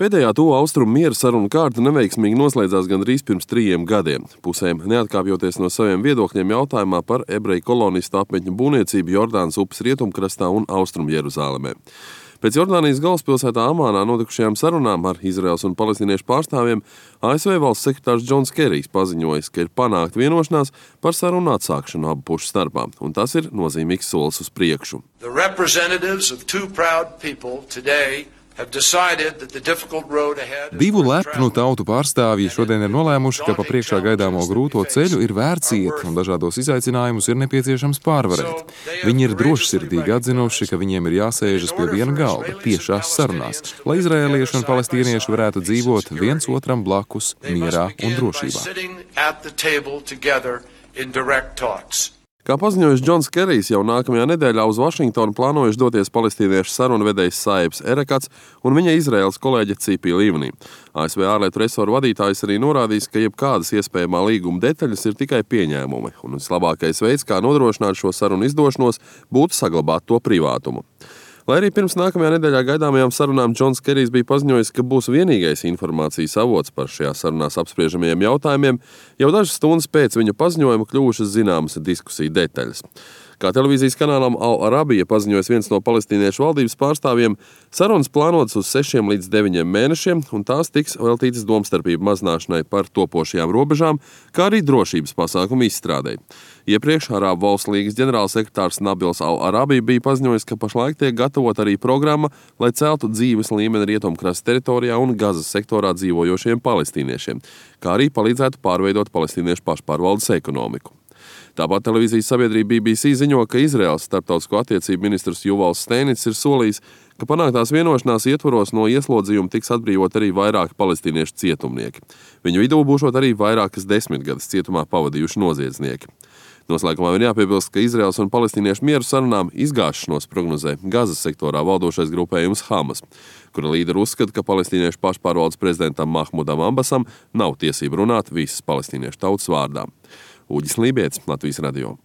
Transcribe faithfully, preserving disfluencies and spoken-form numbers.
Pēdējā tuvu austrumu miera sarunu kārta neveiksmīgi noslēdzās gandrīz pirms trījiem gadiem. Pusēm neatkāpjoties no saviem viedokļiem jautājumā par ebreju kolonistu apmetņu būvniecību Jordānas upes rietumkrastā un austrumu Jeruzālemē. Pēc Jordānijas galvaspilsētā Amānā notikušajām sarunām ar Izraēlas un palestīniešu pārstāvjiem A S V valsts sekretārs Džons Kerijs paziņojis, ka ir panākta vienošanās par sarunu atsākšanu abu pušu starpā, un tas ir nozīmīgs solis uz priekšu. Divu lepnu tautu pārstāvji šodien ir nolēmuši, ka pa priekšā gaidāmo grūto ceļu ir vērts iet un dažādos izaicinājumus ir nepieciešams pārvarēt. Viņi ir drošsirdīgi atzinuši, ka viņiem ir jāsēžas pie viena galda tiešās sarunās, lai izraēlieši un palestīnieši varētu dzīvot viens otram blakus, mierā un drošībā. Kā paziņojis Džons Kerijs, jau nākamajā nedēļā uz Vašingtonu plānojuši doties palestīniešu sarunvedējs Saibs Erekats un viņa Izraēlas kolēģe Cipi Livni. A S V ārlietu resoru vadītājs arī norādījis, ka jebkādas iespējamā līguma detaļas ir tikai pieņēmumi, un vislabākais veids, kā nodrošināt šo sarunu izdošanos, būtu saglabāt to privātumu. Lai arī pirms nākamajā nedēļā gaidāmajām sarunām Džons Kerijs bija paziņojis, ka būs vienīgais informācijas avots par šajā sarunās apspriežamajiem jautājumiem, jau dažas stundas pēc viņa paziņojuma kļuvušas zināmas diskusiju detaļas. Kā televīzijas kanālam Al Arabija paziņojas viens no palestīniešu valdības pārstāvjiem, sarunas plānotas uz sešiem līdz deviņiem mēnešiem, un tās tiks veltītas domstarpību mazināšanai par topošajām robežām, kā arī drošības pasākumu izstrādei. Iepriekš Arābu valstu līgas ģenerālsekretārs Nabils Al Arabija bija paziņojis, ka pašlaik tiek gatavot arī programma, lai celtu dzīves līmeni rietumkrasta teritorijā un Gazas sektorā dzīvojošiem palestīniešiem, kā arī palīdzētu pārveidot palestīniešu pašpārvaldes ekonomiku. Tāpat televīzijas sabiedrība B B C ziņo, ka Izraēlas starptautisko attiecību ministrs Juvals Steinits ir solījis, ka panāktās vienošanās ietvaros no ieslodzījuma tiks atbrīvot arī vairāki palestīniešu cietumnieki. Viņu vidū būšot arī vairākas desmitgades cietumā pavadījuši noziedznieki. Noslēgumā ir jāpiebilst, ka Izraēlas un palestīniešu mieru sarunām izgāšanos prognozē Gazas sektorā valdošais grupējums Hamas, kura līderi uzskata, ka palestīniešu pašpārvaldes prezidentam Mahmudam Ambasam nav tiesība runāt visas palestīniešu tautas vārdā. Uģis Lībietis, Latvijas radio.